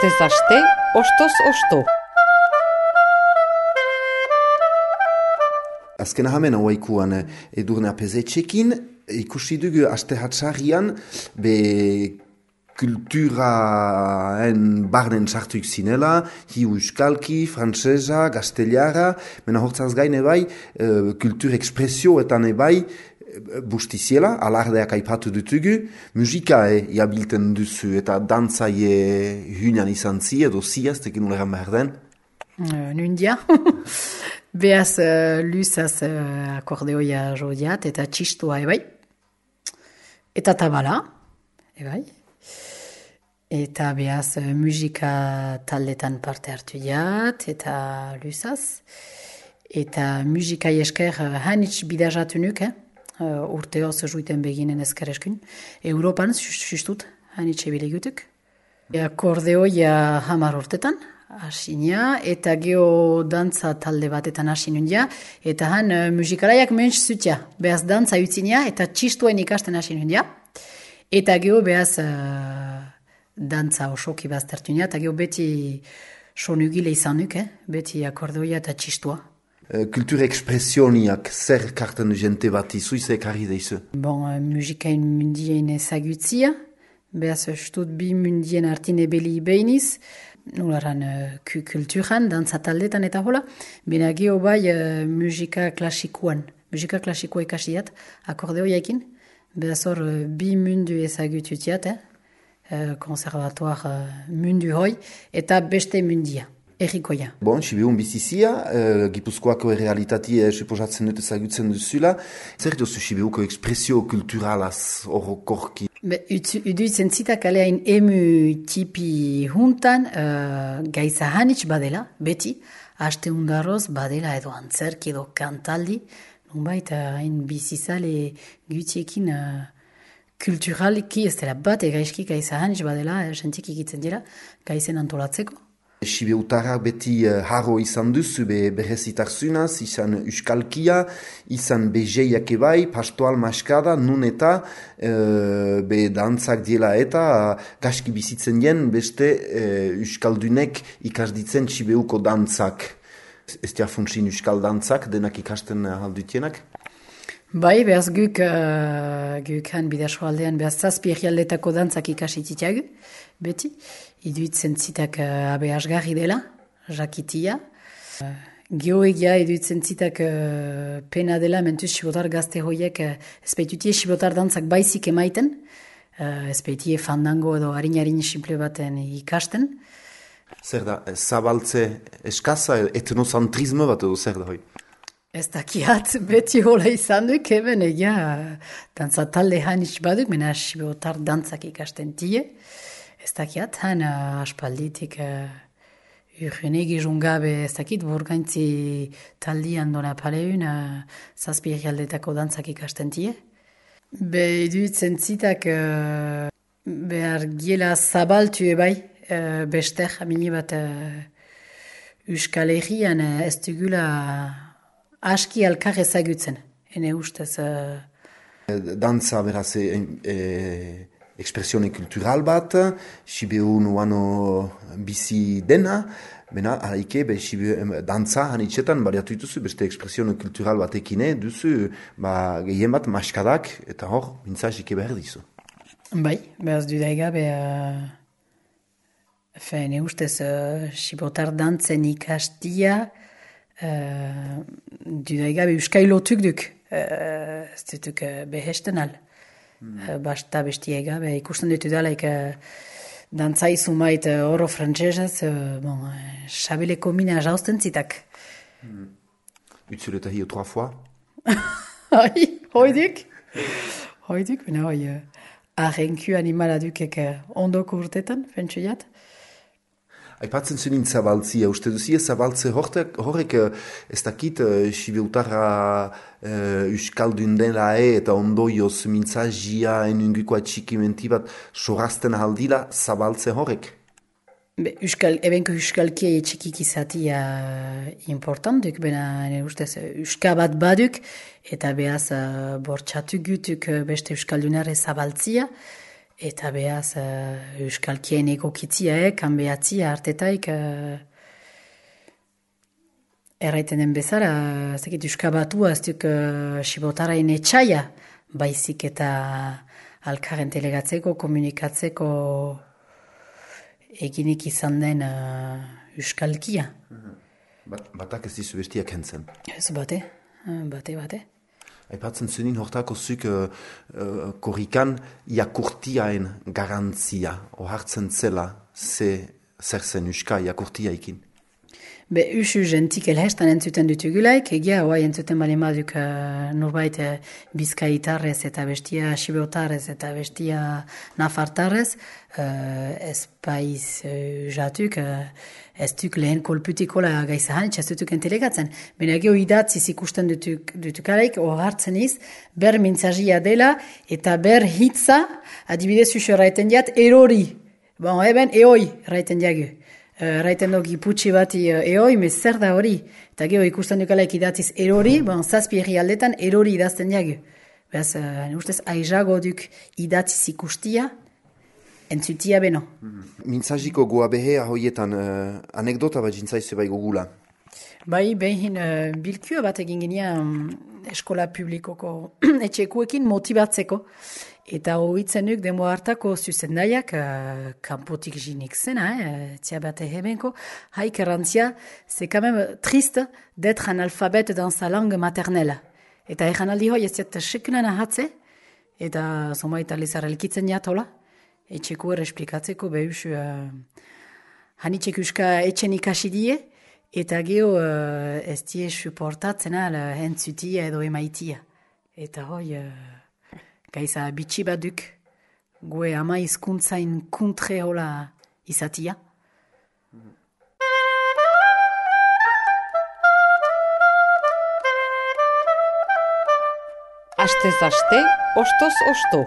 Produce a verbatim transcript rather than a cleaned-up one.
Astez aste, ostoz osto. Azken ahamen hauaikuan edurne apezetxekin, ikusi dugu aste hatxarrian, be kulturaen barnen sartuik zinela, hi euskalki, frantsesa, gazteliara, mena hortzaz gaine bai, kultur ekspresioetan ebai, bustiziela, alardeak aipatu dutugu, musikae jabilten duzu eta dantzaie hünan izan zi edo ziaz, tekin uleran behar den? Uh, Nundia. Beaz uh, luzaz uh, akordeoia jodiat eta txistua ebai. Eta tabala, ebai. Eta beaz uh, musika taldetan parte hartu jat, eta luzaz. Eta musika esker uh, hanitz bidazatu nuk, eh? Uh, urteoz juiten beginen ezker eskun. Europan, justut, hanitz ebile gutuk. Akordeoia hamar urtetan, asinia, eta geho dantza talde batetan asinun ja, eta han uh, musikalaiak menz zutia, behaz dantza utzinia, eta txistuen ikasten asinun ja, eta geho behaz uh, dantza osoki baztertun ja, eta geho beti sonugile izanuk, eh? Beti akordeoia eta txistua. Kultur ekspresioniak zer kartan du jente bat izu, izek harri deizu? Bon, uh, musikain mundien ezagutzia, behaz ustut bi mundien artine beli behiniz, nolaran uh, kulturan, dantza taldetan eta hola, bena geho bai uh, musika klasikoan, musika klasikoa ikasiat, akordeoiakin, behaz hor uh, bi mundu ezagututiat, eh? uh, konservatuar uh, mundu hoi, eta beste mundia. Errikoia. Bon, Sibiun bizizia, uh, Gipuzkoako errealitatea suposatzen dut ezagutzen duzula. Zer dozu Sibiuko ekspresio kulturalaz orokorki? Uduitzen zitak aleain emu tipi juntan, uh, gaiza hanitz badela, beti, haste undarroz badela edo antzerki edo kantaldi, nunbait hain uh, bizizale gutiekin uh, kulturaliki ez dela bat egaizki gaiza hanitz badela, uh, sentik ikitzen dira, gaizen antolatzeko. Sibiutarrak beti uh, harro izan duzu be berrezitarzunaz, izan euskalkia, izan bezeiak ebai, pastoal maskada, nun eta uh, be dantzak diela eta uh, gaski bizitzen jen beste uh, euskaldunek ikasditzen Sibiuko dantzak. Ez dia funtsin euskal dantzak, denak ikasten uh, aldutienak? Bai, behaz guk, uh, guk han bidaso aldean, behaz zazpi egialdetako dantzak ikasititiagu, beti. Iduitzen zitak uh, abe asgarri dela, jakitia. Uh, Geoegia iduitzen zitak uh, pena dela, mentuz sibotar gazte hoiek, uh, ezpeitutie sibotar dantzak baizik emaiten, uh, ezpeitie fandango edo harin-harin simple baten ikasten. Zer da, zabaltze eskaza, etnozantrismo bat edo zer da hoi? Ez dakiat, beti hola izan duk, eben egia dantza talde hanitz baduk, mena sibotar dantzak ikasten tie. Ez dakiat, han uh, aspalditik uh, urgene gizungabe ez dakit, burgaintzi taldian dona paleun uh, zazpi egialdetako dantzak ikasten tie. Be iduitzen zitak uh, behar giela zabaltu ebai, uh, bester, amini bat uh, Euskal Herrian uh, ez dugula aski alkar ezagutzen, ene ustez. Uh... Dantza beraz e, e, ekspresione kultural bat, Sibiun uano bizi dena, bena alaike be Sibiu dantza hanitzetan bariatu dituzu beste ekspresione kultural batekine duzu ba, gehien bat maskadak eta hor mintzazike behar dizu. Bai, behaz dudaiga be uh, ene ustez uh, Sibotar dantzen ikastia uh, dudaiga be euskailotuk duk uh, ez dutuk uh, behesten al. Hmm. Basta bestiega, be, ikusten ditu dalaik uh, dantza izumait uh, oro frantzesez, uh, bon, uh, xabeleko mina jausten zitak. Hmm. Utzuleta hi trois fois? Hai, hoidik. Hoidik, bena hoi, uh, arrenku animala dukek uh, ondoko urtetan, fentsuiat. Aipatzen zunin zabaltzia, uste duzi zabaltze horrek ez dakit Sibiutarra euskaldun dela e eta ondoioz mintzazia enunguko atxikimenti bat sorazten aldila zabaltze horrek? Be, euskal, ebenko euskalkia etxikik izatia importantuk, bena ustez euska bat baduk, eta behaz uh, bortxatu gutuk beste euskaldunare zabaltzia, Eta behaz, uh, euskalkien egokitziaek, kanbeatzia artetaik, uh, erraiten den bezala, zekit euskabatua ez duk uh, sibotarain etxaia, baizik eta alkaren telegatzeko, komunikatzeko eginik izan den uh, euskalkia. Bat, batak ez dizu bestiak hentzen. Ez bate, bate, bate. Aipatzen zunin hortako zuk uh, uh, korrikan jakurtiaen garantzia, ohartzen zela, ze zer zen uska jakurtiaikin. Be, usu gentik elhestan entzuten dutugulaik, egia, oai entzuten bali maduk uh, norbait uh, bizkaitarrez eta bestia sibotarrez eta bestia nafartarrez, uh, ez paiz uh, jatuk, uh, ez duk lehen kolputikola gaizahan, ez dutuk entelegatzen. Baina geho idatziz ikusten dutuk, dutukalaik, hor hartzen iz, ber mintzazia dela eta ber hitza, adibidez usu raiten diat, erori. Bon, eben, eoi, raiten diagu. Uh, raiten dogi putsi bati uh, eoi, me zer da hori. Eta geho ikusten dukalaik idatziz erori, bon, zazpi erri aldetan erori idazten diagu. Beraz, uh, ustez, aizago duk idatziz ikustia, entzutia beno. Mm-hmm. Mintzaziko goa behe ahoietan uh, anekdota bat jintzaizu bai gogula. Bai, behin uh, bilkua bat egin ginean um, eskola publikoko etxekuekin motibatzeko. Eta hoitzen duk demo hartako zuzendaiak, uh, kanpotik jinik zena, eh, tia bat ehebenko, haik errantzia, c'est quand même triste d'être analphabète dans sa langue maternelle. Eta egan aldi hoi ez diat sekulan ahatze, eta zomait alizar elkitzen jatola, etxeko esplikatzeko behus, uh, hanitxek uska etxen ikasi die, eta geho uh, ez die suportatzen al entzutia edo emaitia. Eta hoi... Uh, Gaiza bitxi baduk, gue ama izkuntzain kuntre hola izatia. Astez aste, ostoz osto.